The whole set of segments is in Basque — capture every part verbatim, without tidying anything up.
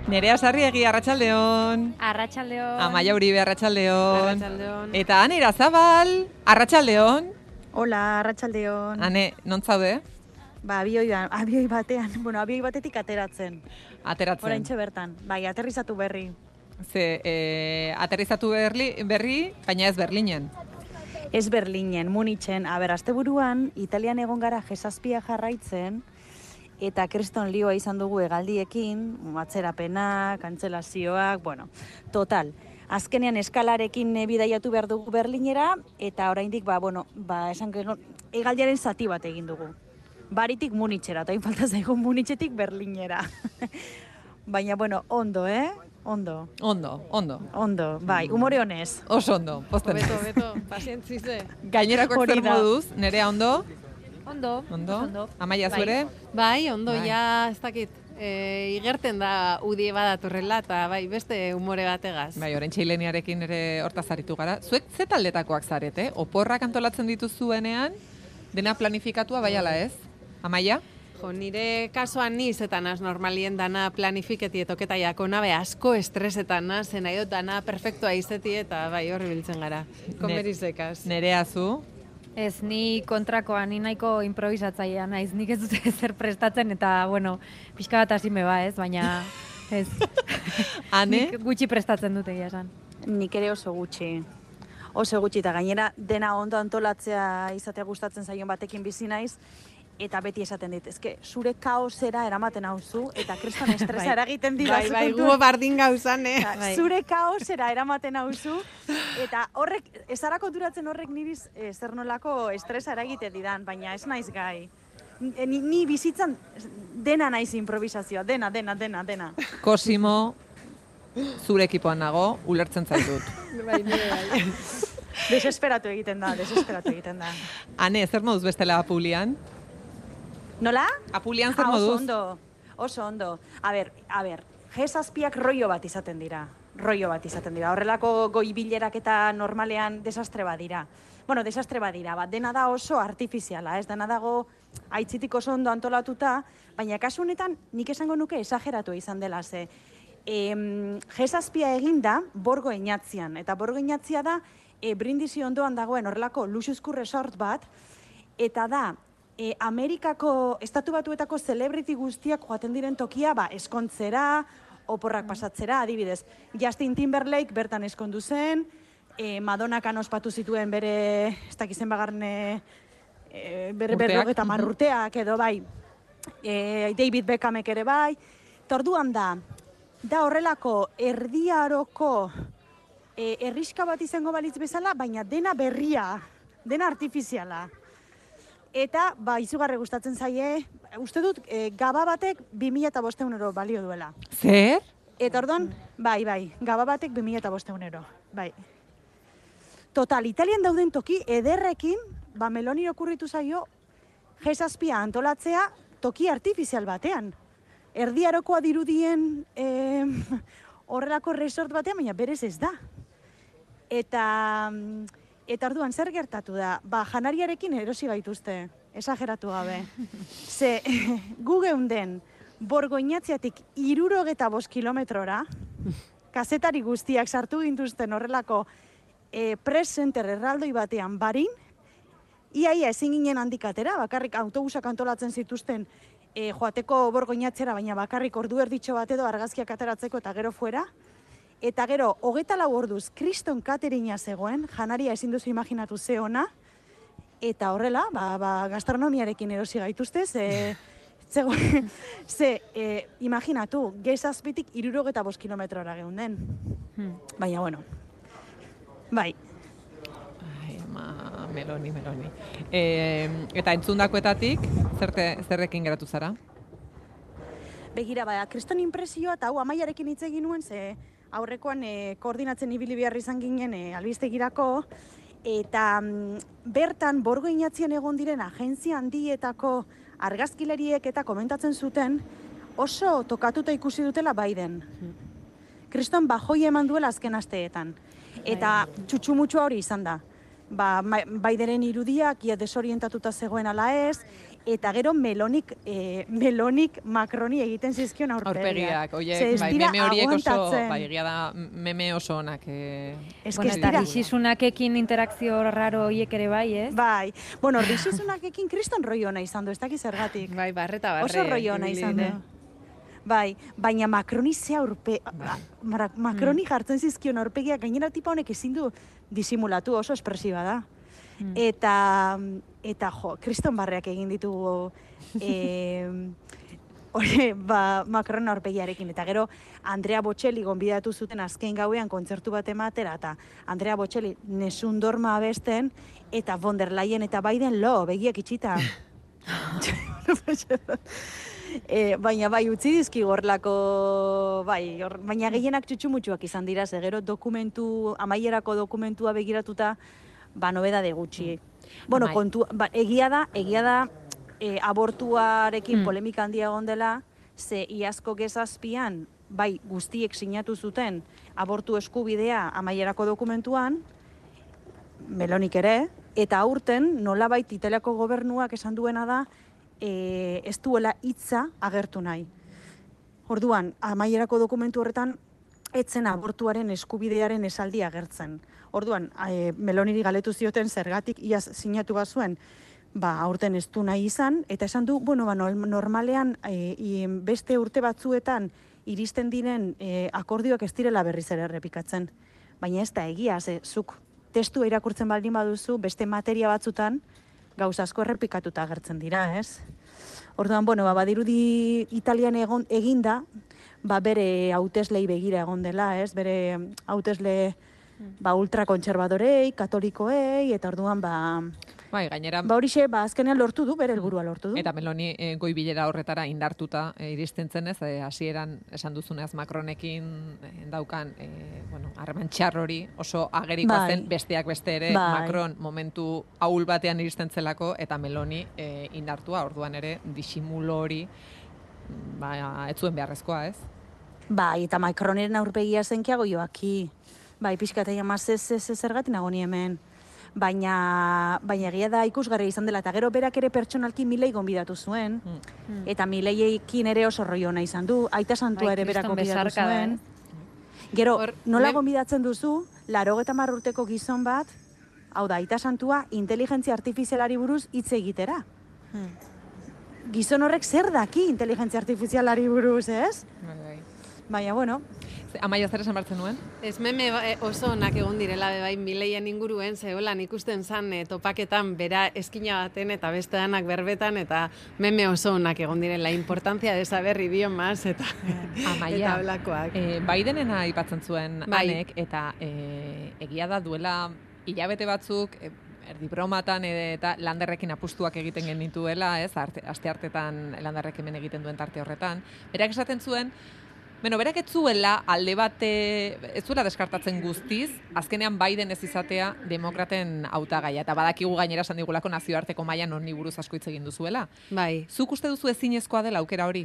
Nerea Sarriegi, arratsaldeon. Arratsaldeon. Amaia Uribe, arratsaldeon. Arratsaldeon. Eta Ane Irazabal, arratsaldeon. Hola, arratsaldeon. Ane, non zaude? Ba, abioi, abioi batean, bueno, abioi batetik ateratzen. Ateratzen. Oraintxe bertan, bai, aterrizatu berri. Ze, eh, aterrizatu berri, berri, baina ez Berlinen. Ez Berlinen, Munitzen, aber, asteburuan, Italian egon gara jesazpia jarraitzen, eta kriston lioa izan dugu hegaldiekin, atzerapenak, kantzelazioak, bueno, total. Azkenean eskalarekin bidaiatu behar dugu Berlinera, eta oraindik, ba, bueno, ba, esan hegaldiaren zati bat egin dugu. Baritik Munitzera, eta falta zaigu Munitzetik Berlinera. Baina, bueno, ondo, eh? Ondo. Ondo, ondo. Ondo, bai, umore honez. Oso ondo, posten. Beto, beto, pazientzize. Gainerakoak zer moduz, Nerea ondo? Ondo. Ondo? Ondo. Amaia zure? Bai, ondo, Bai. ja, ez dakit, e, igerten da udie badatorrela, eta bai, beste umore bategaz. Bai, orain txileniarekin ere hortaz aritu gara. Zuek ze taldetakoak zarete? Oporrak antolatzen dituzuenean, dena planifikatua bai ala ez? Amaia? Jo, nire kasuan niz eta naz normalien dana planifiketi etoketa jako nabe asko estresetan naz, nahi dut dana perfektua izeti eta bai horri biltzen gara. Komerizekaz. Nerea zu? Ez, ni kontrakoa, ni nahiko improvisatzailea naiz, nik ez dute zer prestatzen eta, bueno, pixka bat hasi me ba, ez, baina ez. Ane? Nik gutxi prestatzen dute egia esan. Nik ere oso gutxi. Oso gutxi, eta gainera dena ondo antolatzea izatea gustatzen zaion batekin bizi naiz, eta beti esaten dit, ezke, zure kaosera eramaten hauzu, eta kriston estresa eragiten dira. Bai, bai, gu bardin gauzan, eh? Bai. Zure kaosera eramaten hauzu, eta horrek, ezara konturatzen horrek niriz e, zer nolako estresa eragiten didan, baina ez naiz gai. Ni, ni bizitzan dena naiz improvisazioa, dena, dena, dena, dena. Cosimo, zure ekipoan nago, ulertzen zaitut. Bai, nire bai. Desesperatu egiten da, desesperatu egiten da. Ane, zer moduz bestela Apulian? Nola? Apulian zer Ah, oso moduz? ondo, oso ondo. A ber, a ber, jesazpiak rollo bat izaten dira. Rollo bat izaten dira. Horrelako goi bilerak eta normalean desastre bat dira. Bueno, desastre bat dira, bat dena da oso artifiziala, ez dena dago aitzitik oso ondo antolatuta, baina kasu honetan nik esango nuke esageratu izan dela, ze em, jesazpia eginda Borgo Eñatzian, eta Borgo Eñatzia da e, Brindisi ondoan dagoen horrelako luxuzko resort bat, eta da E, Amerikako, estatu batuetako celebrity guztiak joaten diren tokia, ba, eskontzera, oporrak pasatzera, adibidez. Justin Timberlake bertan eskondu zen, e, Madonak ospatu zituen bere, ez dakizen bagarne, e, bere berrogeta marrurteak edo bai, e, David Beckhamek ere bai. Torduan da, da horrelako erdiaroko e, herriska bat izango balitz bezala, baina dena berria, dena artifiziala. Eta, ba, izugarri gustatzen zaie, uste dut, e, gaba batek bi mila bostehun euro balio duela. Zer? Eta orduan, bai, bai, gaba batek bi mila bostehun euro, bai. Total, Italian dauden toki ederrekin, ba, Meloni okurritu zaio, jesazpia antolatzea toki artifizial batean. Erdiarokoa dirudien e, horrelako resort batean, baina berez ez da. Eta... Eta orduan, zer gertatu da? Ba, janariarekin erosi gaituzte, esageratu gabe. Ze, gu geunden, Borgo Eñatziatik hirurogeta bost kilometrora, kazetari guztiak sartu gintuzten horrelako e, press center erraldoi batean barin, iaia ezin ginen handik atera, bakarrik autobusak antolatzen zituzten e, joateko Borgo Eñatziara, baina bakarrik ordu erditxo bat edo argazkiak ateratzeko eta gero fuera. Eta gero, hogeta lau orduz, kriston katerina zegoen, janaria ezin duzu imaginatu ze ona, eta horrela, ba, ba, gastronomiarekin erosi gaituzte, ze, zegoen, ze, e, imaginatu, gezazpitik hirurogeta bost kilometrora geunden. Hmm. Baina, bueno, bai. Ai, ama, Meloni, Meloni. E, eta entzundakoetatik, zerte, zerrekin geratu zara? Begira, ba, kriston impresioa, eta hau Amaiarekin hitz egin nuen, ze aurrekoan e, koordinatzen ibili behar izan ginen e, albistegirako, eta mm, bertan Borgo Eñatzian egon diren agentzia handietako argazkilariek eta komentatzen zuten oso tokatuta ikusi dutela Biden. Kriston bajoi eman duela azken asteetan. Eta txutxumutxua hori izan da. Ba, Bidenen irudiak ia desorientatuta zegoen ala ez, eta gero melonik, e, melonik Macroni egiten zizkion aurpegiak. Aurpegiak, oie, Ze ez bai, dira meme horiek oso, aguantatzen. bai, egia da, meme oso onak. Eh, Ez Bueno, ez eta dira. rixisunakekin interakzio raro horiek ere bai, ez? Bai, bueno, rixizunakekin kriston rollo ona izan du, ez dakit zergatik. Bai, barreta barre. Oso rollo ona ibili izan du. dire. Bai, baina Macroni ze aurpe... Mara- Macroni jartzen zizkion aurpegiak, gainera tipa honek ezin du disimulatu, oso espresiba da. Eta, eta jo, kriston barreak egin ditugu e, hori, ba, Macron aurpegiarekin. Eta gero, Andrea Bocelli gonbidatu zuten azken gauean kontzertu bat ematera, eta Andrea Bocelli Nessun Dorma abesten, eta von der Leyen eta Biden lo, begiak itxita. E, baina bai, utzi dizki gorlako, bai, or, baina gehienak txutxumutxuak izan dira, ze gero dokumentu, amaierako dokumentua begiratuta, ba, nobedade gutxi. Bueno, Amai. kontu, ba, egia da, egia da, e, abortuarekin Mm. polemika handia egon dela, ze iazko gezazpian, bai, guztiek sinatu zuten abortu eskubidea amaierako dokumentuan, Melonik ere, eta aurten nolabait Italiako gobernuak esan duena da, e, ez duela hitza agertu nahi. Orduan, amaierako dokumentu horretan, etzen abortuaren eskubidearen esaldi agertzen. Orduan, e, Meloniri galetu zioten zergatik iaz sinatu bazuen, ba, aurten ez du nahi izan, eta esan du, bueno, ba, nol- normalean e, i, beste urte batzuetan iristen diren e, akordioak ez direla berriz ere errepikatzen. Baina ez da egia, ze, zuk testua irakurtzen baldin baduzu, beste materia batzutan, gauza asko errepikatuta agertzen dira, ez? Orduan, bueno, ba, badirudi Italian egon, eginda, ba, bere hauteslei begira egon dela, ez? Bere hautesle ba, ultrakontserbadorei, katolikoei, eta orduan, ba, bai, gainera, ba horixe, ba, azkenean lortu du, bere helburua lortu du. eta Meloni e, goi bilera horretara indartuta e, iristen zenez, e, hasieran esan duzuneaz Macronekin e, daukan, e, bueno, harreman txar hori oso agerikoa Bai. zen, besteak beste ere, Bai. Macron momentu ahul batean iristen zelako, eta Meloni e, indartua, orduan ere, disimulo hori, ba, ez zuen beharrezkoa, ez? Bai, eta Macroneren aurpegia zenkiago joaki. Bai, pixka eta jamaz ez ez ez zergatik nago ni hemen. Baina, baina egia da ikusgarria izan dela, eta gero berak ere pertsonalki Milei gonbidatu zuen, Mm. eta Mileiekin ere oso rollo ona izan du, aita santua Bai, ere berak kriston gonbidatu besarka da, zuen. ez? Gero, Hor, nola me- gonbidatzen duzu, larogeta hamar urteko gizon bat, hau da, aita santua, inteligentzia artifizialari buruz hitz egitera. Gizon horrek zer daki inteligentzia artifizialari buruz, ez? Bai, bai. Baina, bueno, Ze, Amaia zer esan bartzen nuen? Ez meme ba- e, oso onak egon direla be bai Mileien inguruen, zeholan ikusten zan e, topaketan bera eskina baten eta beste danak berbetan, eta meme oso onak egon direla, importancia de saber idiomas eta, Amaia, eta blakoak. e, Bidenena aipatzen zuen Bai. Anek, eta e, egia da duela hilabete batzuk, e, erdi bromatan e, eta Landerrekin apustuak egiten genituela, ez, arte, aste hartetan Landerrek hemen egiten duen tarte horretan. Berak esaten zuen, Beno, berak ez zuela alde bate, ez zuela deskartatzen guztiz, azkenean Biden ez izatea demokraten hautagaia, eta badakigu gainera esan digulako nazioarteko mailan honi buruz asko hitz egin duzuela. Bai. Zuk uste duzu ezinezkoa dela aukera hori?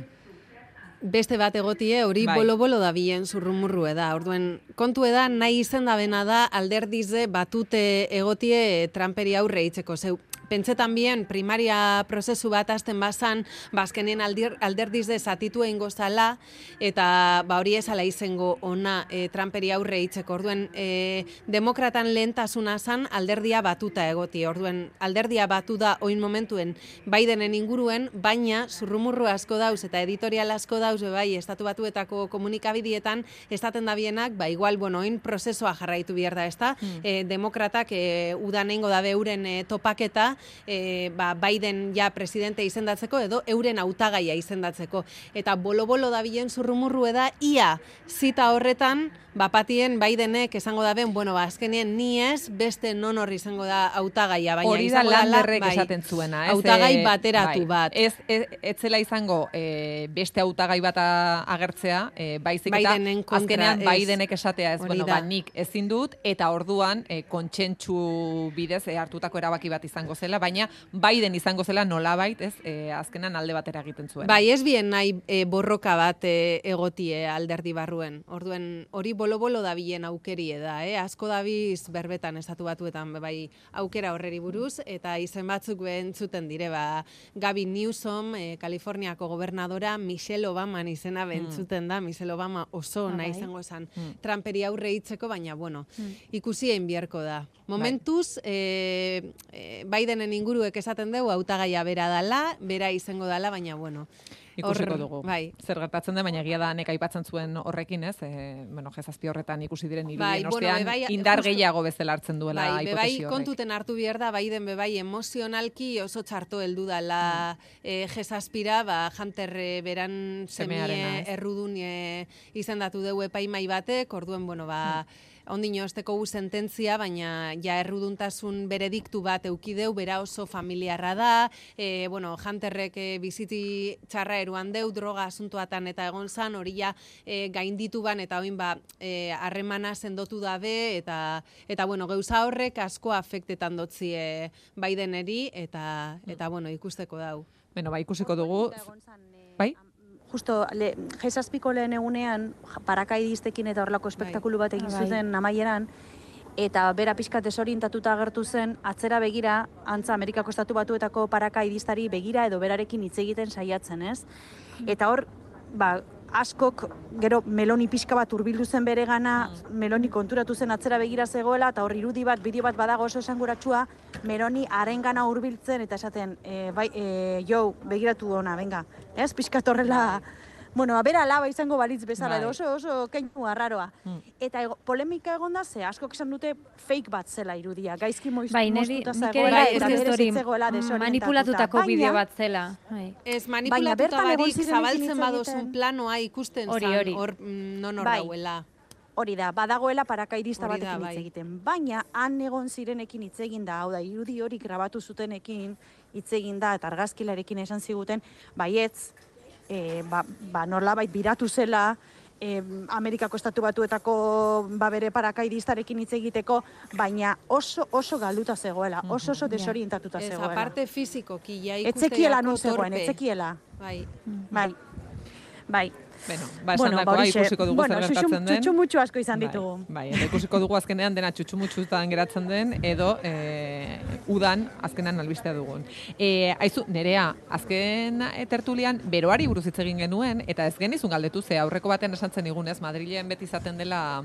Beste bat egotie, hori Bai. bolo-bolo da bien zurrumurru eda. Orduen, kontu eda nahi izen da bena da alderdize batute egotie Trumperi aurre itzeko. Zeu, pentsetan bien primaria prozesu bat hasten bazan, bazkenen aldir, alderdize zatitu egingo zala, eta ba hori ezala izengo ona e, Trumperi aurre itzeko. Orduen, e, demokratan lehentasuna zan alderdia batuta egoti. Orduen, alderdia batu da oin momentuen Bidenen inguruen, baina zurrumurru asko dauz eta editorial asko dauz, bai, estatu batuetako komunikabidietan, estaten da bienak, ba, igual, bueno, oin prozesua jarraitu behar da, ezta? Mm. E, demokratak e, udan eingo dabe euren e, topaketa, e, ba, Biden ja presidente izendatzeko, edo euren hautagaia izendatzeko. Eta bolo-bolo da bilen zurrumurru eda, ia zita horretan, bapatien Bidenek esango da ben, bueno, ba, azkenien ni ez, beste non horri izango da hautagaia, baina Hori da izango dela, Landerrek bai, esaten zuena, ez? hautagai Eh, bateratu bai. bat. Ez, ez, ez zela izango eh, beste hautagai bat a- agertzea, eh, baizik eta Bidenen kontra, azkenean ez. Bidenek esatea ez, Hori bueno, da. ba, nik ezin dut, eta orduan eh, kontsentsu bidez eh, hartutako erabaki bat izango zela, baina Biden izango zela nolabait, ez, e, azkenan alde batera egiten zuen. Bai, ez bien nahi e, borroka bat e, egotie alderdi barruen. Orduen hori bolo-bolo dabilen aukerie da, eh? Asko dabiz berbetan estatu batuetan bai aukera horreri buruz, eta izen batzuk entzuten dire, ba, Gavin Newsom, e, Kaliforniako gobernadora, Michelle Obama izena bentzuten da, Michelle Obama oso Ah, nahi bai. izango esan Mm. Trumperi aurre hitzeko, baina, bueno, Mm. ikusi egin biharko da. Momentuz, e, e, Bidenen inguruek esaten dugu, hautagaia bera dala, bera izango dala, baina, bueno, Ikusiko hor- dugu. bai. Zer gertatzen da, baina egia da nek aipatzen zuen horrekin, ez? E, bueno, jezazpi horretan ikusi diren irudien Bai, bueno, ostean bebai, indar justu- gehiago bezala hartzen duela Bai, bebai hipotesi horrek. kontuten hartu behar da, Biden bebai emozionalki oso txarto heldu dala Mm. e, G-zazpira, ba, Hunter e, beran Semearena, semie ez? errudun e, izendatu dugu epaimai batek, orduen, bueno, ba, ondino osteko gu sententzia, baina ja erruduntasun berediktu bat eukideu, bera oso familiarra da, e, bueno, Hunterrek e, biziti txarra eruan deu, droga asuntoatan eta egon zan, hori ja e, gainditu ban, eta oin ba, e, harremana sendotu dabe, eta, eta bueno, gauza horrek asko afektetan dotzi e, Bideneri, eta, eta bueno, ikusteko dau. Bueno, ba, ikusiko dugu. Bai? Justo, le, G-zazpiko lehen egunean, parakaidistekin eta horrelako espektakulu bat egin Bai. zuten amaieran, eta bera pixka desorientatuta agertu zen, atzera begira, antza Amerikako estatu batuetako parakaidistari begira edo berarekin hitz egiten saiatzen, ez? Eta hor, ba, askok, gero Meloni pixka bat hurbildu zen bere gana, Meloni konturatu zen atzera begira zegoela, eta hor irudi bat, bideo bat badago oso esanguratsua, Meloni harengana hurbiltzen eta esaten, e, bai, e, jo, begiratu ona, venga, ez? Pixka horrela, bueno, bera alaba izango balitz bezala, Bai. edo oso, oso keinu arraroa. Mm. Eta ego, polemika egon da, ze askok esan dute fake bat zela irudia, gaizki moiz, Bai, niri, moztuta nik zegoela, ere bai, eta uste berez dut hori hitzegoela desorientatuta. manipulatutako Baina- bideo bat zela. Bai. Ez Baina manipulatuta bertan egon barik ziren zabaltzen hitz badozun egiten. planoa ikusten Hori, zan, hori. hor mm, non hor Bai. dauela. Hori da, badagoela parakaidista Hori da, batekin bai. hitz egiten. Baina, han egon zirenekin hitz egin da, hau da, irudi hori grabatu zutenekin hitz egin da, eta argazkilarekin esan ziguten, baietz, e, ba, ba, norlabait biratu zela, e, Amerikako estatu batuetako ba, bere parakaidistarekin hitz egiteko, baina oso oso galduta zegoela, oso oso desorientatuta Ez, zegoela. aparte fizikoki, ja Etzekiela ikusteako non zegoen, torpe. etzekiela. Bai. Bai, bai. Bueno, ba, Bueno, esandakoa horixe. ikusiko dugu Bueno, zer gertatzen den. txutxumutxu asko izan Bai, ditugu. Bai, eta ikusiko dugu azkenean dena txutxumutxutan geratzen den, edo e, udan azkenan albistea dugun. E, aizu, Nerea, azken e, tertulian beroari buruz hitz egin genuen, eta ez genizun galdetu, ze aurreko batean esan zen igunez, Madrilen beti izaten dela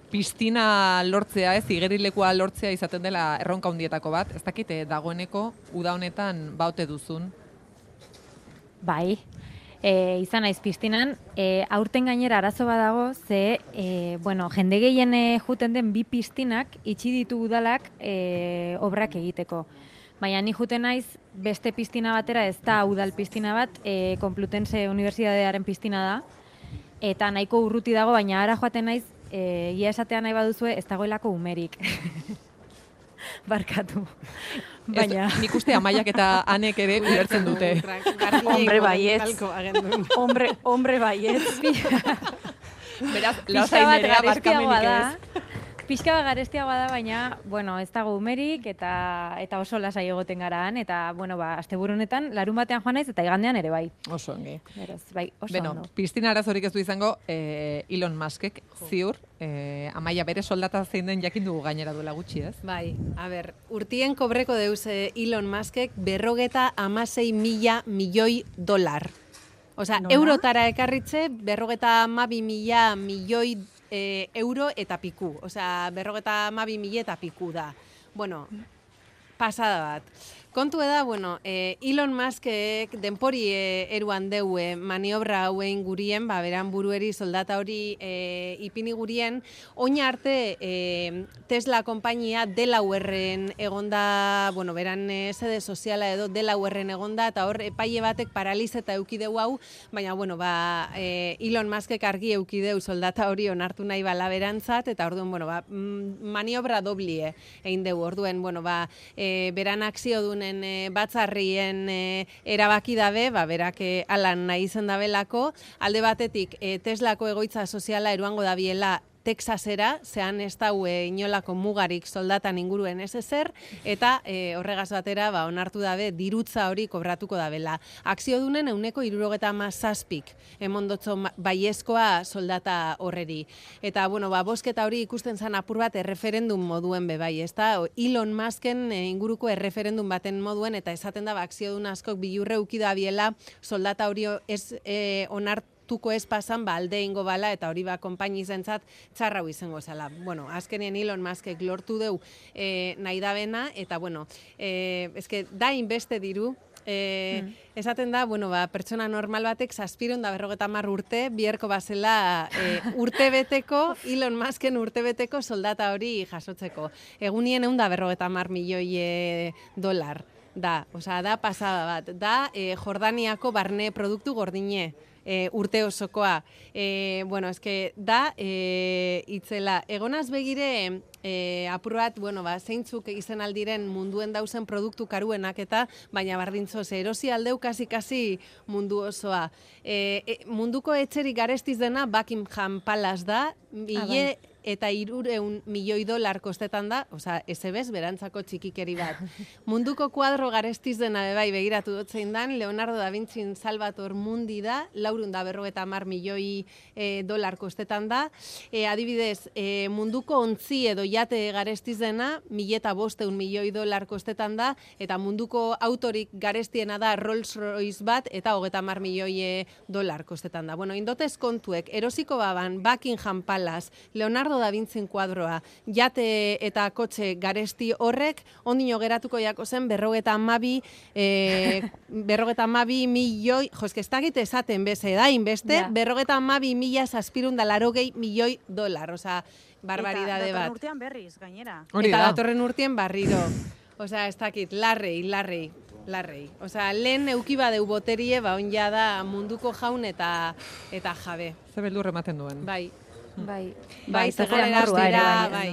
piztina lortzea, ez, igerilekua lortzea izaten dela erronka hundietako bat. Ez dakite, dagoeneko uda honetan baute duzun. Bai, e, izan naiz piztinan, e, aurten gainera arazo badago, ze, e, bueno, jende gehien e, juten den bi piztinak itxi ditu udalak e, obrak egiteko. Baina ni juten naiz beste piztina batera, ez da udal piztina bat, e, Complutense Unibertsitatearen piztina da, eta nahiko urruti dago, baina ara joaten naiz, e, ia esatea nahi baduzue, ez dagoelako umerik. Barkatu. Baina... Ez, nik uste Amaiak eta Anek ere ulertzen dute. Hombre, baietz. agendun. Hombre, hombre baietz. Beraz, Pixka lasai bat Nerea garestiagoa barkamenik da. ez. Pixka bat garestiagoa da, baina, bueno, ez dago umerik eta eta oso lasai egoten gara han, eta, bueno, ba, asteburu honetan, larun batean joan naiz eta igandean ere bai. Oso ongi. Beraz, bai, oso Beno, ondo. piztina arazorik ez du izango eh, Elon Muskek ziur, eh, Amaia bere soldata zein den jakin dugu gainera duela gutxi, ez? Bai, a ber, urtien kobreko deuz eh, Elon Muskek berrogeta amasei mila milioi dolar. Osea, Nola? eurotara ekarritze berrogeta amabi mila milioi eh, euro eta piku. Osea, berrogeta amabi mila eta piku da. Bueno, pasada bat. Kontu da, bueno, eh, Elon Muskek denpori eh, eruan deu eh, maniobra hauen gurien, ba, beran burueri soldata hori eh, ipini gurien, oina arte eh, Tesla konpainia Delawareen egonda, bueno, beran eh, sede soziala edo Delawareen egonda, eta hor epaile batek paralizeta eukideu hau, baina, bueno, ba, eh, Elon Muskek argi eukideu soldata hori onartu nahi bala berantzat, eta orduan, bueno, ba, mm, maniobra doblie egin deu, orduen, bueno, ba, eh, beran akzio duen E, batzarrien e, erabaki dabe, ba, berak e, alan nahi izen dabelako, alde batetik e, Teslako egoitza soziala eruango dabiela Texasera, zean ez daue inolako mugarik soldatan inguruen ez ezer, eta e, horregaz batera ba, onartu dabe dirutza hori kobratuko dabela. Akziodunen euneko irurogeta mazazpik emondotzo baiezkoa soldata horreri. Eta, bueno, ba, bosketa hori ikusten zan apur bat erreferendum moduen bebai, ez da? Elon Musken e, inguruko erreferendum baten moduen, eta esaten da, ba, akziodun askok bilurre ukida biela soldata hori ez e, onartu tuko ez pasan, ba, alde ingo bala, eta hori ba, konpaini zentzat txarrau izango zela. Bueno, azkenien Elon Muskek lortu deu e, nahi dabena, eta, bueno, e, eske, da inbeste diru, e, mm. esaten da, bueno, ba, pertsona normal batek zazpiron da berrogeta mar urte, bierko bazela e, urtebeteko, Elon Musken urtebeteko soldata hori jasotzeko. Egunien egun da berrogeta mar milioi e, dolar. Da, osea, da pasada bat. Da, e, Jordaniako barne produktu gordine. E, urte osokoa. E, bueno, eske da, e, itzela, egonaz begire, e, apur bat, bueno, ba, zeintzuk izen aldiren munduen dauzen produktu karuenak eta, baina bardintzo, ze erosi aldeu kasi-kasi mundu osoa. E, e, munduko etxerik garestiz dena Buckingham Palace da, mille ah, eta irureun milioi dolar kostetan da, oza, ezebez, berantzako txikikeri bat. Munduko kuadro garestiz dena bebai begiratu dutzein dan, Leonardo da Vinci Salvator Mundi da, laurun da berrogeta mar milioi e, dolar kostetan da. E, adibidez, e, munduko ontzi edo jate garestiz dena, mileta bosteun milioi dolar kostetan da, eta munduko autorik garestiena da Rolls Royce bat, eta hogeta mar milioi e, dolar kostetan da. Bueno, indotez kontuek, erosiko baban, Buckingham Palace, Leonardo da Vinci kuadroa, jate eta kotxe garesti horrek, ondino geratuko jako zen berrogeta amabi, e, berrogeta amabi milioi, jo, eske ez dakit esaten beze, da, inbeste, ja. berrogeta amabi mila zazpirun da larogei milioi dolar, oza, barbaridade bat. Eta datorren urtean berriz, gainera. Eta da. datorren urtean barriro. Oza, ez dakit, larrei, larrei. Larrei. Osa, lehen euki badeu boterie, ba, onja da munduko jaun eta eta jabe. Ze beldur ematen duen. Bai. Bai, bai, zegoeraz dira, bai.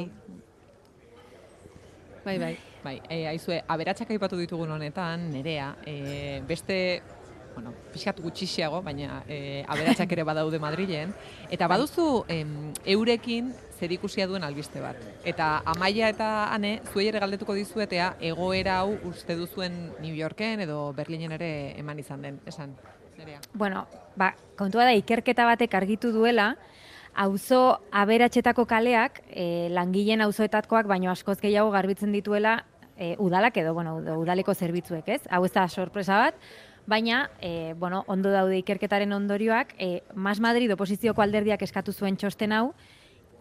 Bai, bai. Bai, e, aizue, aberatsak aipatu ditugun honetan, Nerea, e, beste, bueno, pixkat gutxixiago, baina e, aberatsak ere badaude Madrilen, eta baduzu em, eurekin zerikusia duen albiste bat. Eta Amaia eta Ane, zuei ere galdetuko dizuetea, egoera hau uste duzuen New Yorken edo Berlinen ere eman izan den, esan, Nerea? Bueno, ba, kontua da, ikerketa batek argitu duela, auzo aberatsetako kaleak, e, langileen auzoetakoak baino askoz gehiago garbitzen dituela e, udalak edo, bueno, udaleko zerbitzuek, ez? Hau ez da sorpresa bat, baina, e, bueno, ondo daude ikerketaren ondorioak, e, Mas Madrid oposizioko alderdiak eskatu zuen txosten hau,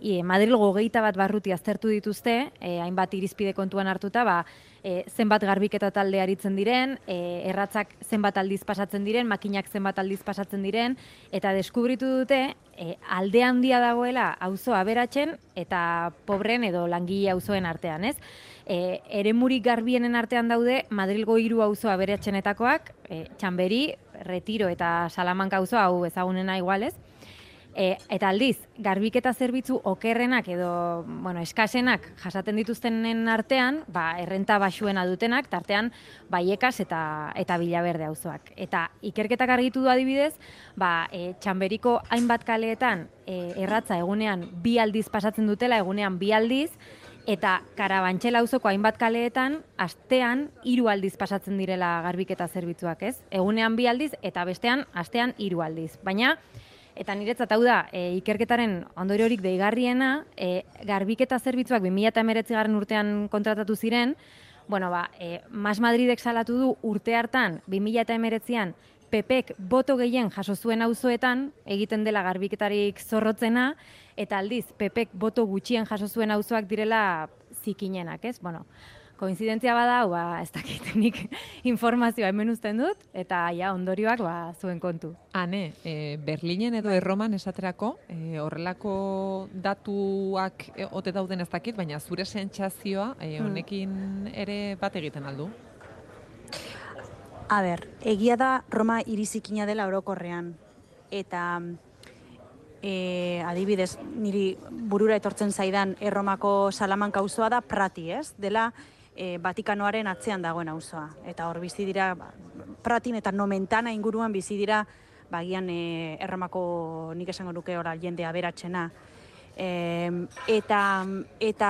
e, Madrilgo hogeita bat barruti aztertu dituzte, e, hainbat irizpide kontuan hartuta, ba, e, zenbat garbiketa talde aritzen diren, e, erratzak zenbat aldiz pasatzen diren, makinak zenbat aldiz pasatzen diren, eta deskubritu dute, e, alde handia dagoela auzo aberatzen eta pobren edo langile auzoen artean, ez? E, eremurik garbienen artean daude Madrilgo hiru auzo aberatzenetakoak, e, Txanberi, Retiro eta Salamanca auzo, hau ezagunena igualez. E, eta aldiz, garbiketa zerbitzu okerrenak edo, bueno, eskasenak jasaten dituztenen artean, ba, errenta baxuena dutenak, tartean Baiekas eta eta Villaverde auzoak. Eta ikerketak argitu du adibidez, ba, e, Txanberiko hainbat kaleetan e, erratza egunean bi aldiz pasatzen dutela, egunean bi aldiz, eta Karabantxela auzoko hainbat kaleetan astean hiru aldiz pasatzen direla garbiketa zerbitzuak, ez? Egunean bi aldiz eta bestean astean hiru aldiz. Baina eta niretzat hau da, e, ikerketaren ondoriorik deigarriena, e, garbiketa zerbitzuak bi mila hemeretzigarren urtean kontratatu ziren, bueno, ba, e, Mas Madridek salatu du urte hartan, bi mila hemeretzian, P Pek boto gehien jaso zuen auzoetan, egiten dela garbiketarik zorrotzena, eta aldiz, P Pek boto gutxien jaso zuen auzoak direla zikinenak, ez? Bueno, koinzidentzia bada, ba, ez dakit, nik informazioa hemen uzten dut, eta ja, ondorioak ba, zuen kontu. Ane, e, Berlinen edo Erroman esaterako, e, horrelako datuak e, ote dauden ez dakit, baina zure sentsazioa e, honekin ere bat egiten aldu? A ber, egia da Roma irizikina dela orokorrean, eta e, adibidez, niri burura etortzen zaidan Erromako Salamanca auzoa da Prati, ez? Dela E, Vatikanoaren atzean dagoen auzoa. Eta hor bizi dira, ba, Pratin eta Nomentana inguruan bizi dira, bagian e, Erromako nik esango nuke ora jende aberatsena. E, eta, eta,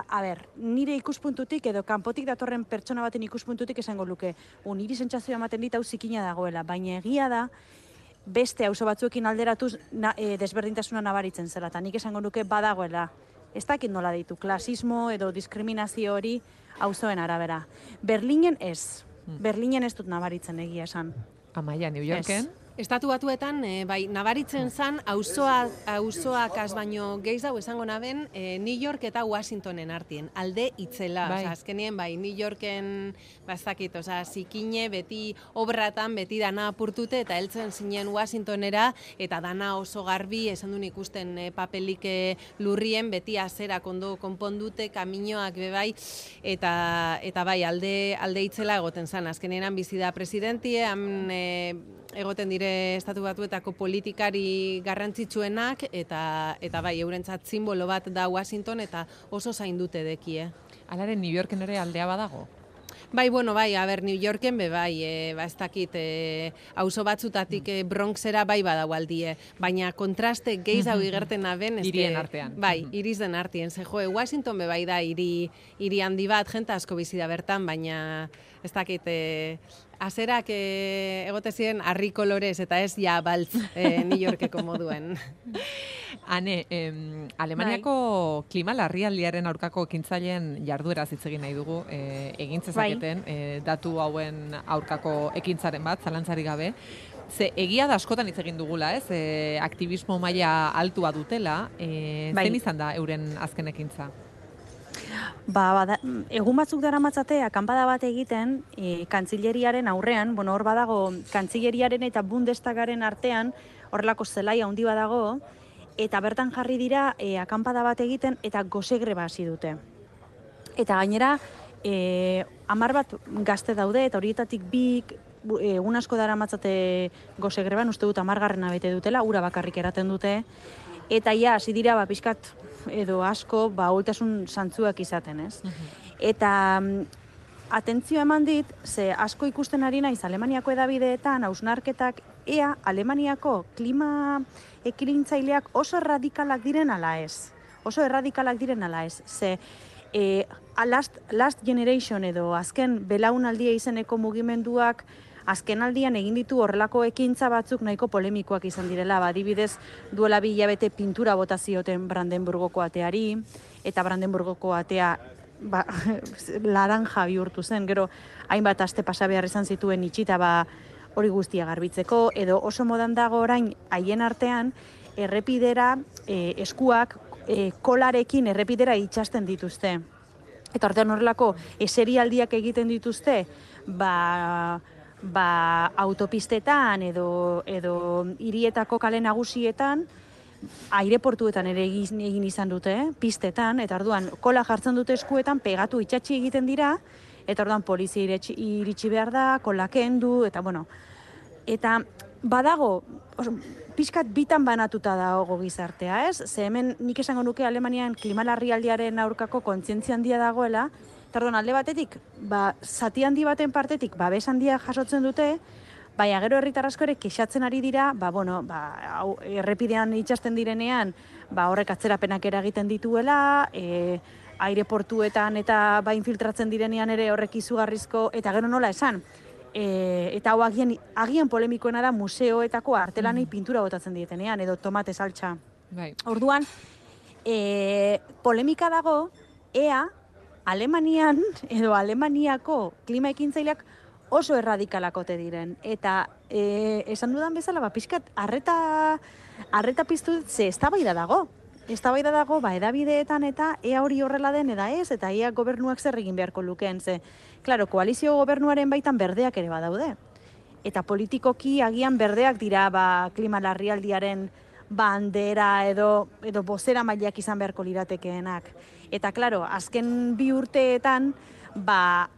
a ber, nire ikuspuntutik edo kanpotik datorren pertsona baten ikuspuntutik esango luke, un niri sentsazioa ematen dit hau zikina dagoela, baina egia da, beste auzo batzuekin alderatuz na, e, desberdintasuna nabaritzen zela, eta nik esango nuke badagoela. Ez dakit nola ditu, klasismo edo diskriminazio hori auzoen arabera. Berlinen ez, Berlinen ez dut nabaritzen egia esan. Amaia, New Yorken? Ez. Estatu batuetan, e, bai, nabaritzen zan, auzoa, auzoak az baino gehiago esango naben, e, New York eta Washingtonen artien, alde itzela. Bai. Osa, azkenien, bai, New Yorken, bazakit, osa, zikine, beti obratan, beti dana apurtute, eta heltzen zinen Washingtonera, eta dana oso garbi, esan duen ikusten e, papelik e, lurrien, beti azerak ondo konpondute, kaminoak bebai, eta, eta bai, alde, alde itzela egoten zan. Azkenean bizi da presidentie, han e, egoten dire estatu batuetako politikari garrantzitsuenak, eta eta bai, eurentzat simbolo bat da Washington, eta oso zaindute dekie. Alaren New Yorken ere aldea badago? Bai, bueno, bai, a ber, New Yorken be bai, e, ba ez dakit, e, auzo batzutatik e, Bronxera bai badago aldie, baina kontraste gehiago igerten aben, hirien artean. Bai, iriz den artien. Ze jo, Washington be bai da hiri hiri handi bat, jente asko bizi da bertan, baina ez dakit, e, azerak e, egote ziren harri kolorez eta ez ja baltz e, New Yorkeko moduen. Hane, em, Alemaniako klima larrialdiaren aurkako ekintzaileen jardueraz hitz egin nahi dugu, e, egin zezaketen e, datu hauen aurkako ekintzaren bat, zalantzarik gabe. Ze egia da askotan hitz egin dugula, ez? E, aktivismo maila altua dutela, e, Bai. zein izan da euren azken ekintza? Ba, bada, egun batzuk dara matzate, akanpada bat egiten, e, kantzileriaren aurrean, bueno, hor badago, kantzileriaren eta Bundestagaren artean, horrelako zelai handi badago, eta bertan jarri dira e, akanpada bat egiten, eta gose greba hasi dute. Eta gainera, e, hamar bat gazte daude, eta horietatik bik, egun asko dara matzate gose greban, uste dut hamargarrena bete dutela, ura bakarrik eraten dute, eta ja, hasi dira, ba, pixkat, edo asko, ba, ahultasun zantzuak izaten, ez? Eta atentzio eman dit, ze asko ikusten ari naiz Alemaniako edabideetan, hausnarketak, ea Alemaniako klima ekilintzaileak oso erradikalak diren ala ez. Oso erradikalak diren ala ez. Ze e, last, last Generation edo azken belaunaldia izeneko mugimenduak azken aldian egin ditu horrelako ekintza batzuk nahiko polemikoak izan direla. Ba, adibidez, duela bi hilabete pintura bota zioten Brandenburgoko ateari, eta Brandenburgoko atea ba, laranja bihurtu zen, gero hainbat aste pasa behar izan zituen itxita ba, hori guztia garbitzeko, edo oso modan dago orain haien artean errepidera e, eskuak e, kolarekin errepidera itxasten dituzte. Eta ordean horrelako eserialdiak egiten dituzte, ba, ba, autopistetan edo, edo hirietako kale nagusietan, aireportuetan ere egin, egin izan dute, eh? Pistetan, eta orduan kola jartzen dute eskuetan, pegatu itxatxi egiten dira, eta orduan polizia iritsi, iritsi behar da, kola kendu, eta bueno. Eta badago, oso, pixkat bitan banatuta dago gizartea, ez? Ze hemen nik esango nuke Alemanian klima larrialdiaren aurkako kontzientzia handia dagoela, eta orduan alde batetik, ba, zati handi baten partetik, babes handia jasotzen dute, baina gero herritar asko ere kexatzen ari dira, ba, bueno, ba, hau, errepidean itxasten direnean, ba, horrek atzerapenak eragiten dituela, e, aireportuetan eta ba, infiltratzen direnean ere horrek izugarrizko, eta gero nola esan, e, eta hau agian, agian polemikoena da museoetako artelanei pintura botatzen dietenean, edo tomate saltsa. Bai. Orduan, e, polemika dago, ea, Alemanian, edo Alemaniako klima ekintzaileak oso erradikalakote diren. Eta e, esan dudan bezala, ba, pixkat, arreta, arreta piztu, ze eztabaida dago. Eztabaida dago, ba, edabideetan eta ea hori horrela den eda ez, eta ea gobernuak zer egin beharko lukeen, ze, klaro, koalizio gobernuaren baitan berdeak ere badaude. Eta politikoki agian berdeak dira, ba, klima larrialdiaren bandera edo, edo bozera mailak izan beharko liratekeenak. Eta, klaro, azken bi urteetan, ba,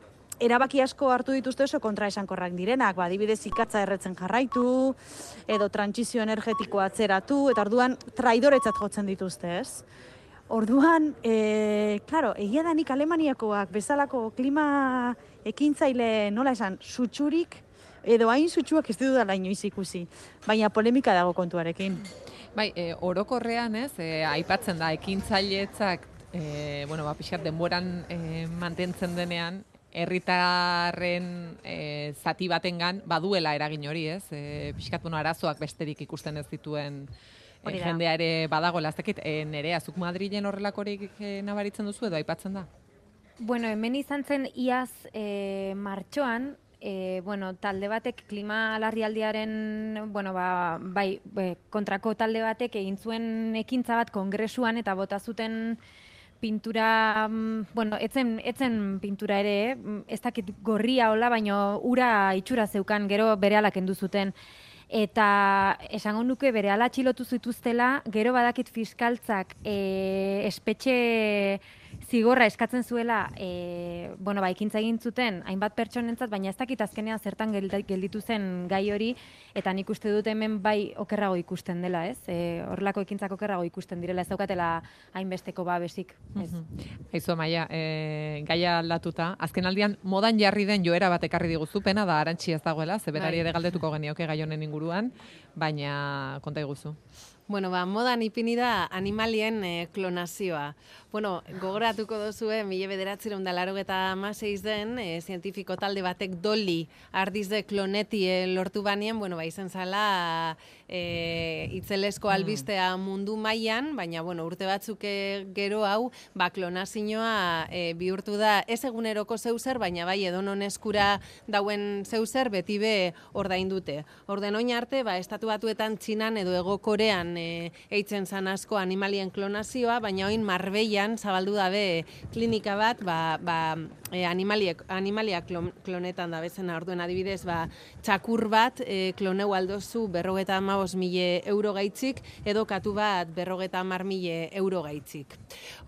erabaki asko hartu dituzte oso kontraesankorrak direnak, ba, adibidez ikatza erretzen jarraitu, edo trantsizio energetikoa atzeratu, eta orduan traidoretzat jotzen dituzte, ez? Orduan, e, klaro, egia da nik Alemaniakoak bezalako klima ekintzaile nola esan, sutsurik, edo hain sutsuak ez dudala inoiz ikusi, baina polemika dago kontuarekin. Bai, e, orokorrean, ez, e, aipatzen da ekintzailetzak e, bueno, ba, pixkat denboran e, mantentzen denean, herritarren e, zati batengan baduela eragin hori, ez? E, pixkat, bueno, arazoak besterik ikusten ez dituen e, jendea ere badagoela, ez dakit, e, Nerea, zuk Madrilen horrelakorik e, nabaritzen duzu edo aipatzen da? Bueno, hemen izan zen iaz e, martxoan, E, bueno, talde batek klima larrialdiaren, bueno, ba, bai, be, kontrako talde batek egin zuen ekintza bat kongresuan eta bota zuten pintura, bueno, etzen, etzen pintura ere, ez dakit gorria hola, baino ura itxura zeukan, gero berehala kendu zuten. Eta esango nuke berehala atxilotu zituztela, gero badakit fiskaltzak e, espetxe zigorra eskatzen zuela, e, bueno, ba, ekintza egin zuten hainbat pertsonentzat, baina ez dakit azkenean zertan gelditu zen gai hori, eta nik uste dut hemen bai okerrago ikusten dela, ez? E, horrelako ekintzak okerrago ikusten direla, ez daukatela hainbesteko babesik. Ez. Aizu, Amaia, e, gaia aldatuta, azken aldian modan jarri den joera bat ekarri diguzu, pena da Arantxi ez dagoela, zeberari ere galdetuko genioke gai honen inguruan, baina konta iguzu. Bueno, ba, modan ipini da animalien e, klonazioa. Bueno, gogoratuko duzue, mila bederatziehun eta laurogeita hamasei den, e, zientifiko talde batek Dolly ardizde klonetie lortu banien, bueno, ba, izan zala e, itzelesko albistea mundu mailan, baina, bueno, urte batzuk gero hau, ba, klonazioa e, bihurtu da, ez eguneroko zeuzer, baina bai edonon eskura dauen zeuzer, beti be ordaindute. Orden oin arte, ba, estatu batuetan Txinan edo Hego Korean E, eitzen zan asko animalien klonazioa, baina oin Marbellan zabaldu dabe klinika bat, ba, ba, e, animaliek, animalia klon, klonetan da bezena, orduen adibidez, ba, txakur bat e, kloneu aldozu berrogeta hamabost mila euro gaitzik, edo katu bat berrogeta hamar mila euro gaitzik.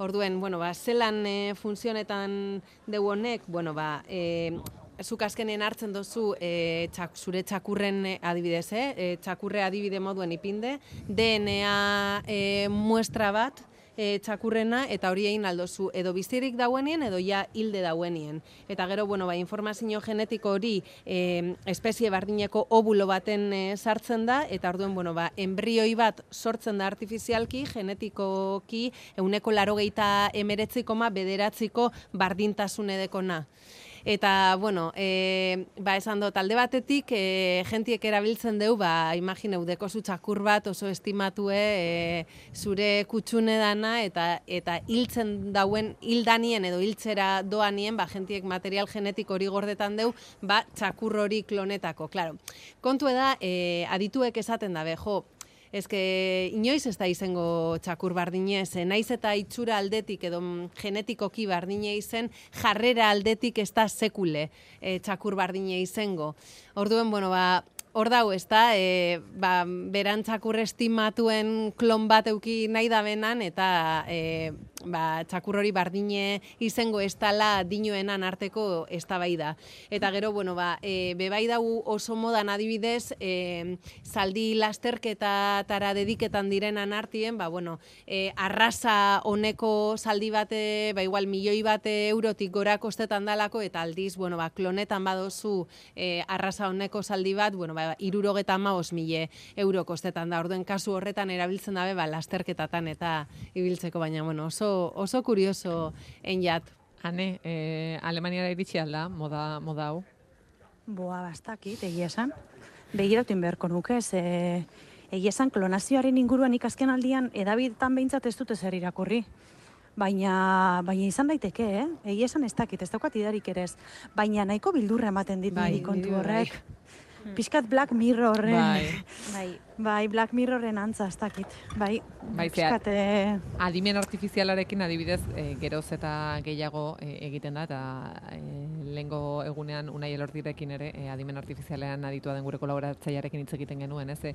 Orduen, bueno, ba, zelan e, funtzionetan deu honek, bueno, ba, e, zuk azkenean hartzen dozu e, txak, zure txakurren adibidez, eh? e, txakurre adibide moduen ipinde, D N A e, muestra bat e, txakurrena, eta hori egin aldozu edo bizirik dauenien edo ja hilde dauenien. Eta gero, bueno, ba, informazio genetiko hori e, espezie bardineko obulo baten e, sartzen da, eta orduen, bueno, ba, embrioi bat sortzen da artifizialki, genetikoki, euneko larogeita emeretzi koma bederatziko bardintasun edekona. Eta, bueno, e, ba, esan dut, alde batetik, e, jentiek erabiltzen deu, ba, imagineu, dekozu txakur bat oso estimatue e, zure kutsune dana, eta eta hiltzen dauen, hildanien edo hiltzera doanien, ba, jentiek material genetik hori gordetan deu, ba, txakur hori klonetako. Claro, kontu da, e, adituek esaten dabe, jo, ezke inoiz ez da izango txakur bardinez, naiz eta itxura aldetik edo genetikoki bardine izen, jarrera aldetik ez da sekule e, txakur bardine izango. Orduen, bueno, ba, hor dau, ez da, e, ba, beran txakur estimatuen klon bat euki nahi da benan, eta e, ba, txakur hori bardine izango ez dala dinoenan arteko eztabaida. Eta gero, bueno, ba, e, bebai dau oso modan adibidez, e, zaldi lasterketatara dediketan direnan artien, ba, bueno, e, arrasa honeko zaldi bate, ba, igual milioi bate eurotik gora kostetan dalako, eta aldiz, bueno, ba, klonetan badozu e, arrasa honeko zaldi bat, bueno, ba, irurogeta hamabost mila euro kostetan da. Orduen kasu horretan erabiltzen dabe, ba, lasterketatan eta ibiltzeko, baina, bueno, oso oso kurioso enjat. Ane, eh, Alemaniara iritsi alda, moda, moda hau? Boa, bastakit, egia esan. Begirauten beharko nuke, ze egia esan klonazioaren inguruan ikazken aldian edabidetan behintzat ez dute zer irakurri. Baina, baina izan daiteke, eh? Egia esan ez dakit, ez daukat idarik ere ez. Baina nahiko bildurra ematen dit bai, niri kontu horrek. Bai. Piskat Black Mirrorren. Bai. Bai. Bai, Black Mirrorren antza, ez dakit. Bai, Bai, piskat... Eh... Adimen artifizialarekin adibidez e, geroz eta gehiago e, egiten da, eta e, lehengo egunean Unai Elordirekin ere e, adimen artifizialean aditua den gure kolaboratzailearekin hitz egiten genuen, ez? E,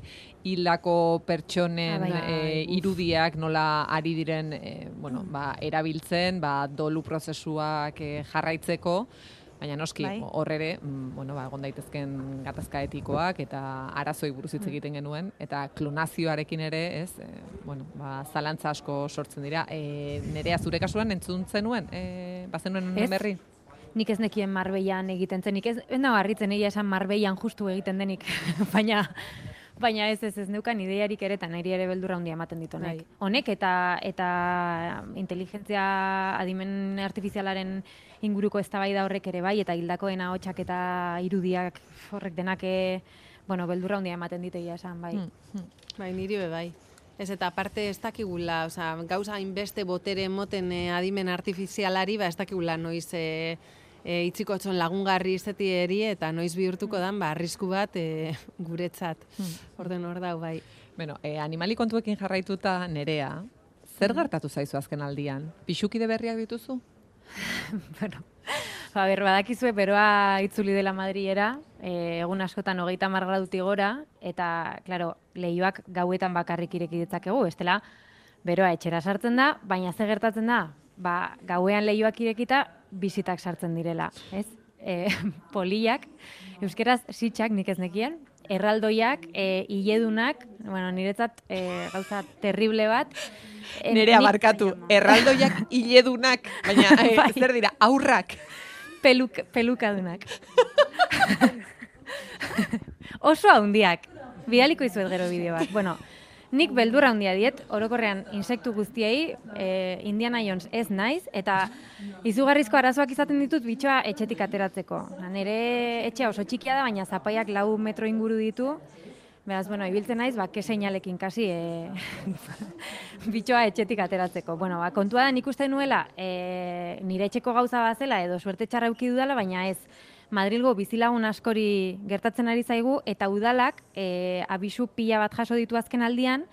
hildako pertsonen ah, bai. e, irudiak nola ari diren e, bueno, ba, erabiltzen, ba, dolu prozesuak e, jarraitzeko, baina noski, bai. hor ere, bueno, ba, egon daitezken gatazka etikoak eta arazoi buruz hitz egiten genuen, eta klonazioarekin ere, ez, e, bueno, ba, zalantza asko sortzen dira. E, Nerea, zure kasuan entzun zenuen, e, bazenuen berri? Nik ez nekien Marbellan egiten zen, nik ez, ez nago harritzen egia esan Marbellan justu egiten denik, baina, Baina ez ez ez neukan ideiarik ere eta niri ere beldurra handia ematen dit honek. Bai. Honek eta eta inteligentzia adimen artifizialaren inguruko eztabaida horrek ere bai, eta hildakoen ahotsak eta irudiak horrek denak e, bueno, beldurra handia ematen dit egia esan, bai. Hmm, hmm. Bai, niri be bai. Ez eta aparte ez dakigula, osea, gauza hainbeste botere emoten e, adimen artifizialari, ba ez dakigula noiz e, e, itziko txon lagungarri izetieri eta noiz bihurtuko dan, ba, arrisku bat e, guretzat. Orden hor dau, bai. Bueno, e, animali kontuekin jarraituta Nerea, zer gertatu zaizu azken aldian? Pixukide berriak dituzu? Bueno, ba, ber, badakizue, beroa itzuli dela Madrilera, e, egun askotan hogeita hamar gradutik gora, eta, klaro, leihoak gauetan bakarrik ireki ditzakegu, bestela, beroa etxera sartzen da, baina ze gertatzen da, ba, gauean leihoak irekita, bizitak sartzen direla, ez? E, poliak, euskeraz sitxak nik ez nekien, erraldoiak, e, hiledunak, bueno, niretzat e, gauza terrible bat. E, Nerea nik- barkatu, erraldoiak hiledunak, baina e, Bai. zer dira, aurrak. Peluk, pelukadunak. Oso handiak. Bidaliko izuet gero bideo bat. Bueno, nik beldurra handia diet, orokorrean insektu guztiei, e, Indiana Jones ez naiz, eta izugarrizko arazoak izaten ditut bitxoa etxetik ateratzeko. Nere etxea oso txikia da, baina zapaiak lau metro inguru ditu. Beraz, bueno, ibiltzen naiz, ba, keseñalekin kasi e, bitxoa etxetik ateratzeko. Bueno, ba, kontua da nik uste nuela e, nire etxeko gauza bazela edo suerte txarra eduki dudala, baina ez. Madrilgo bizilagun askori gertatzen ari zaigu eta udalak e, abisu pila bat jaso ditu azken aldian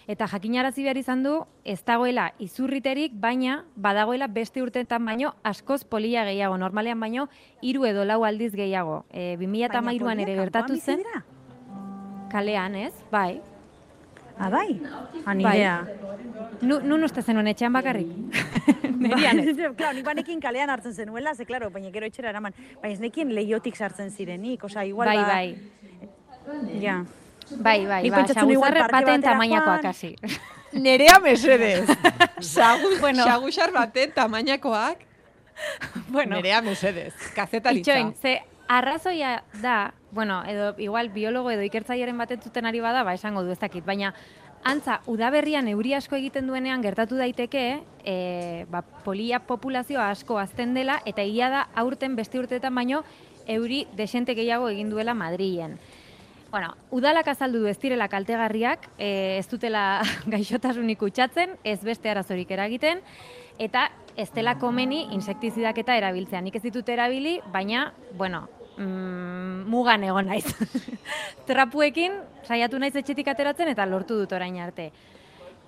eta jakinarazi behar izan du ez dagoela izurriterik, baina badagoela beste urteetan baino askoz polia gehiago, normalean baino hiru edo lau aldiz gehiago. E, bi mila hamairuan ere gertatu zen. Kalean, ez? Bai. Ah, bai? Ah, Bai. nirea. Nu, nun uste zenuen etxean bakarrik? Nerian ez. Claro, nik banekin kalean hartzen zenuela, ze, claro, baina gero etxera eraman. Baina ez nekien lehiotik sartzen zirenik, osea, igual Bai, ba... bai. Ja. Bai, bai, Nik ba, pentsatzen igual saguzarre parke baten batera tamainakoak joan. hasi. Nerea mesedez. Sagu, Bueno. Sagusar baten tamainakoak. Bueno, Nerea mesedez. Kazetaritza. itxoin, ze arrazoia da, bueno, edo igual biologo edo ikertzailearen baten zuten ari bada, ba esango du ez dakit, baina antza, udaberrian euri asko egiten duenean gertatu daiteke, e, ba, polia populazioa asko azten dela, eta egia da aurten beste urteetan baino euri desente gehiago egin duela Madrilen. Bueno, udalak azaldu du ez direla kaltegarriak, e, ez dutela gaixotasunik kutsatzen, ez beste arazorik eragiten, eta ez dela komeni insektizidak eta erabiltzea. Nik ez ditut erabili, baina, bueno, mm, mugan egon naiz. Trapuekin saiatu naiz etxetik ateratzen eta lortu dut orain arte.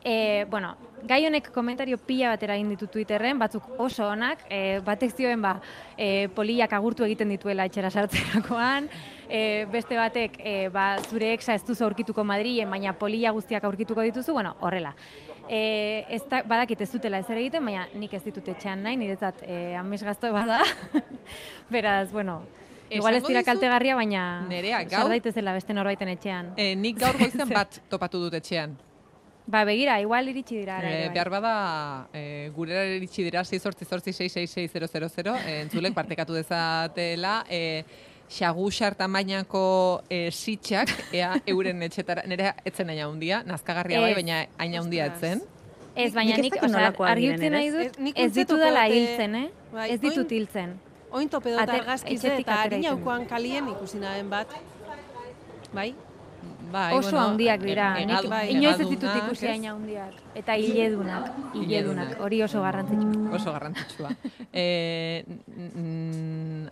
E, bueno, gai honek komentario pila bat eragin ditu Twitterren, batzuk oso onak, e, batek zioen ba, e, poliak agurtu egiten dituela etxera sartzerakoan, e, beste batek e, ba, zure exa ez duzu aurkituko Madrilen, baina polia guztiak aurkituko dituzu, bueno, horrela. E, ez da, badakit ez dutela ezer egiten, baina nik ez ditut etxean nahi, niretzat e, amesgazto bada. Beraz, bueno, igual ez Esango dira dizut, kaltegarria, baina Nerea, gaur- sar daitezela beste norbaiten etxean. E, nik gaur goizen bat topatu dut etxean. Ba, begira, igual iritsi dira. ara ere, E, bai. behar bada, e, gurera iritsi dira sei zortzi zortzi sei sei sei zero zero zero, e, entzulek partekatu dezatela, e, xagusar tamainako e, sitxak, ea euren etxetara, nire etzen aina hundia, nazkagarria bai, Ez. baina aina hundia etzen. Ez, baina Nik ez nik, dakit osea, nolakoak argi diren, utzi nahi ez? dut, Ez, nik ez uste ditu dela topeote- hiltzen, eh? Bai, Ez ditut oin- hiltzen. Oin tope dut Ater- argazkize etxetik eta atera harina egiten. aukoan kalien ikusi nahen bat. Bai? Bai, Oso bueno, handiak e- dira, e- nik ega- inoiz ez ditut egadunak, ikusi ez? haina handiak. Eta hiledunak, hiledunak, Hiledunak. hori oso garrantzitsua. Oso garrantzitsua. e, mm,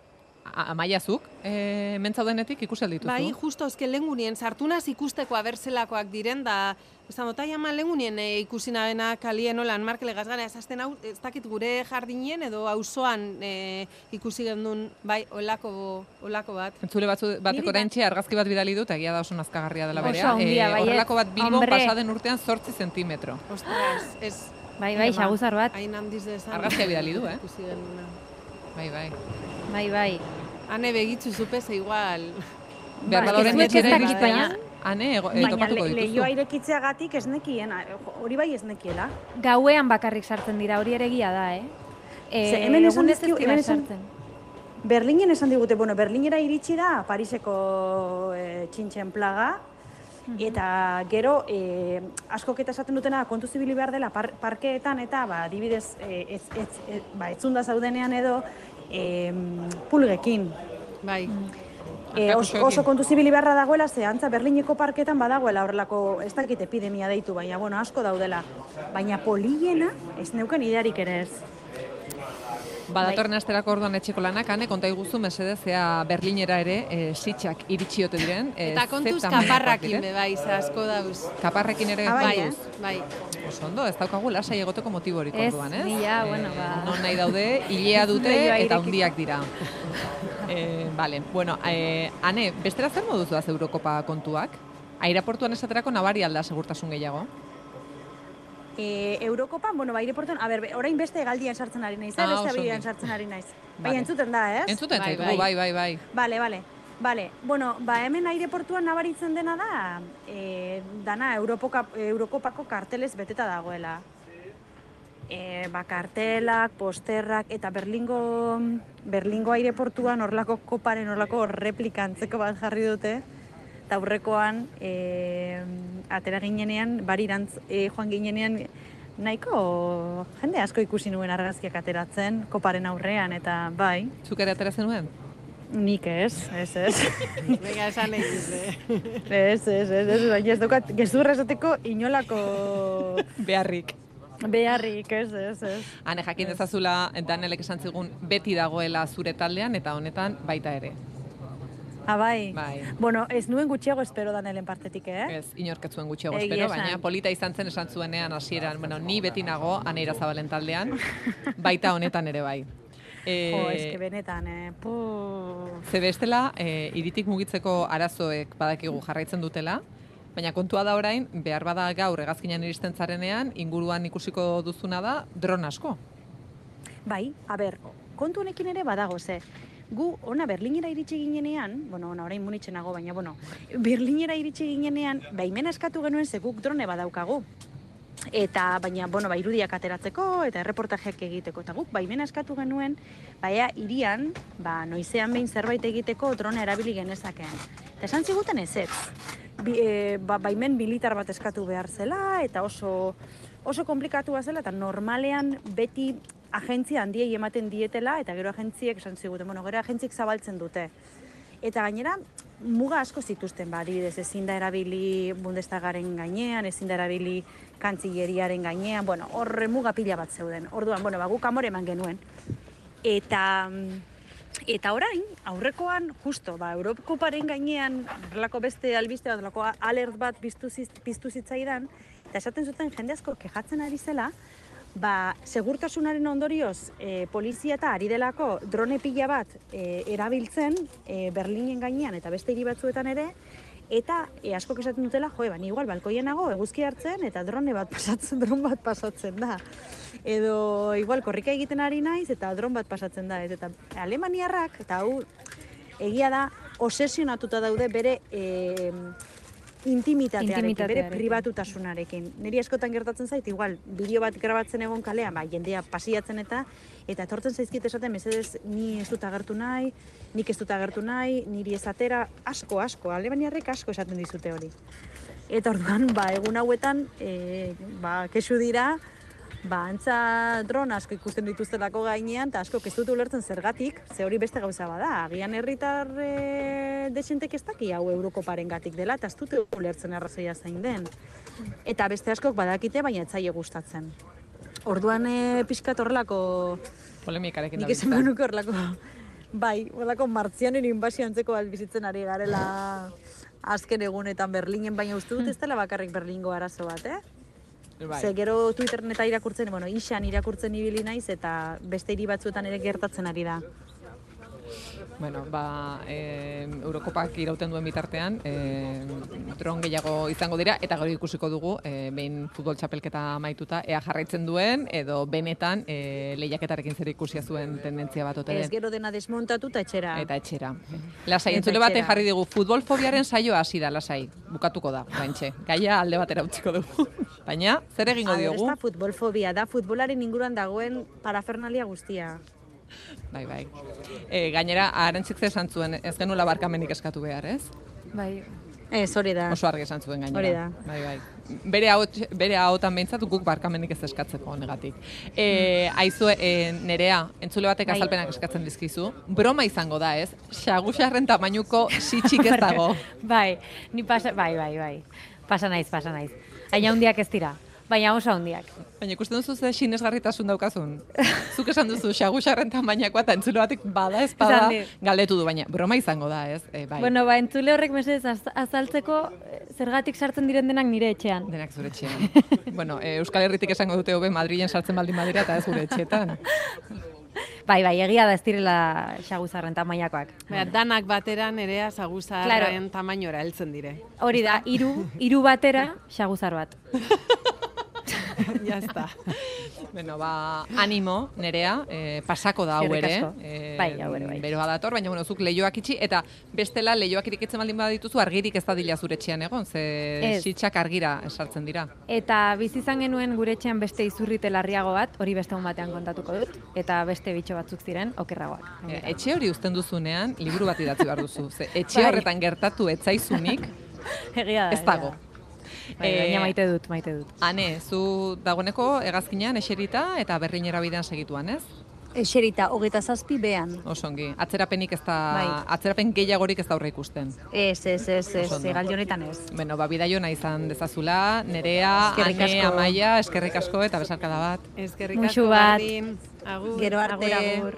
a- Amaiazuk, e, mentzaudenetik ikusi aldituzu? Bai, justo ezke lengunien sartunaz ikusteko abertzelakoak diren da esan dut, ama lengunien e, ikusi nabena kalien olan markele gazgana ezazten hau, ez dakit gure jardinien edo auzoan e, ikusi gendun, bai, olako, olako bat. Entzule batzu, bateko Niri oraintxe argazki bat bidali dut, egia da oso nazkagarria dela Oso berea. handia, baiet. Horrelako bat Bilbon Hombre. pasaden urtean zortzi zentimetro. Ostras, ez. Bai, bai, Ema, xaguzar bat. Hain handiz dezan. Argazkia bidali du, eh? Ikusi genduna. Bai, bai. Bai, bai. Hane begitzu zupez igual. Behar Bai, bada ez orain dut ez etxera dakit, iristea, baina- Ane, ego- e, Baina topatuko le, dituzu. lehioa irekitzeagatik ez nekien, hori bai ez nekiela. Gauean bakarrik sartzen dira, hori ere egia da, eh? E, Ze hemen esan egunez ez dizkigu- dira hemen esan- sartzen. Berlinen esan digute, bueno, Berlinera iritsi da Pariseko e, txintxen plaga, Eta gero, e, askok eta esaten dutena kontu zibili behar dela par, parkeetan eta ba, adibidez e, ez, ez, ez, ba, etzunda zaudenean edo e, pulgekin. Bai. E, oso, oso kontu zibili beharra dagoela, ze antza Berlineko parketan badagoela horrelako, ez dakit epidemia deitu, baina bueno, asko daudela. Baina poliena ez neuken idearik ere ez. Badatorren asterako orduan etxeko lanak, ane, konta iguzu, mesedez, ea Berlinera ere, e, sitxak iritsiote diren. E, Eta kontuz kaparrakin be bai, ze asko dauz. Kaparrekin ere bai, kontuz. eh? Bai. Oso ondo, ez daukagu lasai egoteko motiborik orduan, ez? Ez, nila, bueno, ba... Non nahi daude, hilea dute Leihoa eta irekiko. hundiak dira. e, vale, bueno, e, ane, bestera zer moduz doaz Eurokopa kontuak? Aireportuan esaterako nabari alda segurtasun gehiago? E, Eurokopan, bueno, ba, aireportuan, a ber, orain beste galdian sartzen ari naiz, eh? Ah, beste oso abidean ongi. sartzen ari naiz. Vale. Baina entzuten da, ez? Entzuten Bai, zaitugu, bai, bai, bai. Bale, bale. Bale, bueno, ba, hemen aireportuan nabaritzen dena da, e, dana Europoka, Eurokopako kartelez beteta dagoela. E, ba, kartelak, posterrak, eta Berlingo, Berlingo aireportuan horlako koparen horlako replikantzeko bat jarri dute, eta aurrekoan e, atera ginenean, barirantz e, joan ginenean, nahiko jende asko ikusi nuen argazkiak ateratzen, koparen aurrean, eta bai, Zuk ere atera zenuen? nik ez, ez, ez. Venga, esan nahi dute. Ez, ez, ez, ez, baina ez daukat, gezurra esateko inolako Beharrik. beharrik, ez, ez, ez. Hane, jakin dezazula, Danelek esan zigun, beti dagoela zure taldean, eta honetan baita ere. Ah, bai. Bai. Bueno, ez nuen gutxiago espero Danelen partetik, eh? Ez, inorketzuen gutxiago Egia espero, esan. baina polita izan zen esan zuenean hasieran, bueno, ni beti nago Aneira Zabalen taldean, baita honetan ere bai. E, Jo, eske benetan, eh? Puh. Ze bestela, e, iritik mugitzeko arazoek badakigu jarraitzen dutela, baina kontua da orain, behar bada gaur hegazkinean iristen zarenean, inguruan ikusiko duzuna da dron asko. Bai, a ber, kontu honekin ere badago, ze. Gu, ona Berlinera iritsi ginenean, bueno, ona orain Munitzen nago, baina, bueno, Berlinera iritsi ginenean, baimena eskatu genuen ze guk drone badaukagu. Eta, baina, bueno, ba, irudiak ateratzeko eta erreportajeak egiteko. Eta guk, baimena eskatu genuen, baina irian, ba, noizean behin zerbait egiteko drone erabili genezakeen. Eta esan ziguten ez ez. Bi, e, ba, baimen militar bat eskatu behar zela, eta oso, oso komplikatua zela, eta normalean beti agentzia handiei ematen dietela, eta gero agentziek esan ziguten, bueno, gero agentziek zabaltzen dute. Eta gainera, muga asko zituzten, ba, adibidez, ezin da erabili Bundestagaren gainean, ezin da erabili kantzileriaren gainean, bueno, horre muga pila bat zeuden. Orduan, bueno, ba, guk amore eman genuen. Eta, eta orain, aurrekoan, justo, ba, Eurokoparen gainean, horrelako beste albiste bat, horrelako alert bat piztu, ziz- piztu zitzaidan, eta esaten zuten jende asko kejatzen ari zela, ba, segurtasunaren ondorioz e, polizia eta ari delako drone pila bat e, erabiltzen e, Berlinen gainean eta beste hiri batzuetan ere, eta e, askok esaten dutela, jo, ba, ni igual balkoien nago eguzki hartzen eta drone bat pasatzen, dron bat pasatzen da. Edo igual korrika egiten ari naiz eta dron bat pasatzen da. Eta alemaniarrak, eta hau egia da, obsesionatuta daude bere e, intimitatearekin, bere Intimitatearekin. pribatutasunarekin. Niri askotan gertatzen zait, igual, bideo bat grabatzen egon kalean, ba, jendea pasiatzen eta, eta etortzen zaizkit esaten, mesedez, ni ez dut agertu nahi, nik ez dut agertu nahi, niri ez atera, asko, asko, alemaniarrek asko esaten dizute hori. Eta orduan, ba, egun hauetan, e, ba, kesu dira, ba, antza dron asko ikusten dituztelako gainean, eta asko ez dut ulertzen zergatik, ze hori beste gauza bada. Agian herritar e, desentek ez daki hau Eurokoparen gatik dela, eta ez dute ulertzen arrazoia zein den. Eta beste askok badakite, baina ez zaie gustatzen. Orduan e, pixkat horrelako, Polemikarekin nik esan dabiltza. benuko horrelako, bai, horrelako martzianen inbasio antzeko bat bizitzen ari garela azken egunetan Berlinen, baina uste dut ez dela bakarrik Berlingo arazo bat, eh? Bai. Ze gero Twitterren eta irakurtzen, bueno, isan irakurtzen ibili naiz eta beste hiri batzuetan ere gertatzen ari da. Bueno, ba, e, Eurokopak irauten duen bitartean, e, dron gehiago izango dira, eta gero ikusiko dugu, e, behin futbol txapelketa amaituta, ea jarraitzen duen, edo benetan e, lehiaketarekin zer ikusia zuen tendentzia bat ote Ez den. gero dena desmontatu eta etxera. Eta etxera. Lasai, Eta entzule batek etxera. jarri digu, futbol fobiaren saioa hasi da, lasai. Bukatuko da, baintxe. Gaia alde batera utziko dugu. Baina, zer egingo A ber, ez diogu? da futbolfobia, da futbolaren inguruan dagoen parafernalia guztia. Bai, bai. E, gainera, Arantzik ze esan zuen, ez genuela barkamenik eskatu behar, ez? Bai, Ez, hori da. Oso argi esan zuen gainera. Hori da. Bai, bai. Bere ahots, bere ahotan behintzat guk barkamenik ez eskatzeko honegatik. E, aizu, e, Nerea, entzule batek Bai. azalpenak eskatzen dizkizu. Broma izango da, ez? Xagusarren tamainuko sitxik ez dago. Bai, ni pasa, bai, bai, bai. Pasa naiz, pasa naiz. Baina hundiak ez dira. Baina oso hundiak. Baina ikusten duzu ze sinesgarritasun daukazun. Zuk esan duzu xagusarren tamainakoa eta entzule batek bada ez bada Esan dit. galdetu du, baina broma izango da, ez? E, bai. Bueno, ba, entzule horrek mesedez az- azaltzeko eh, zergatik sartzen diren denak nire etxean. Denak zure etxean. bueno, e, Euskal Herritik esango dute hobe Madrilen sartzen baldin badira eta ez gure etxeetan. Bai, bai, egia da ez direla xaguzarren tamainakoak. Baina, danak batera Nerea saguzarren tamainora heltzen dire. Hori da, hiru hiru batera xaguzar bat. Ya está. Bueno, ba, animo, Nerea, eh, pasako da hau Eskerrik ere. asko. Eh, Bai, hau ere, bai. Beroa dator, baina bueno, zuk leioak itxi, eta bestela leioak irikitzen baldin badituzu, argirik ez da dila zure etxean egon, ze Ez. sitxak argira esartzen dira. Eta bizi izan genuen gure etxean beste izurrite larriago bat, hori beste egun batean kontatuko dut, eta beste bitxo batzuk ziren okerragoak. Eh, etxe hori uzten duzunean, liburu bat idatzi behar duzu. Ze etxe Bai. horretan gertatu etzaizunik, Egia da. ez dago. egia da. Bai, Eh, baina maite dut, maite dut. Ane, zu dagoeneko hegazkinean eserita eta berlinera bidean segituan, ez? Eserita, hogeita zazpi behan. Osongi. Atzerapenik ez da, Bai. atzerapen gehiagorik ez da aurre ikusten. Ez, ez, ez, ez, Oso ondo. egaldi honetan ez. Bueno, ba, bidaio nahi izan dezazula, Nerea, Eskerrik Ane, asko. Amaia, eskerrik asko eta besarkada bat. Eskerrik Muxu asko bat. bardin. Agur. Gero arte. Agur, agur.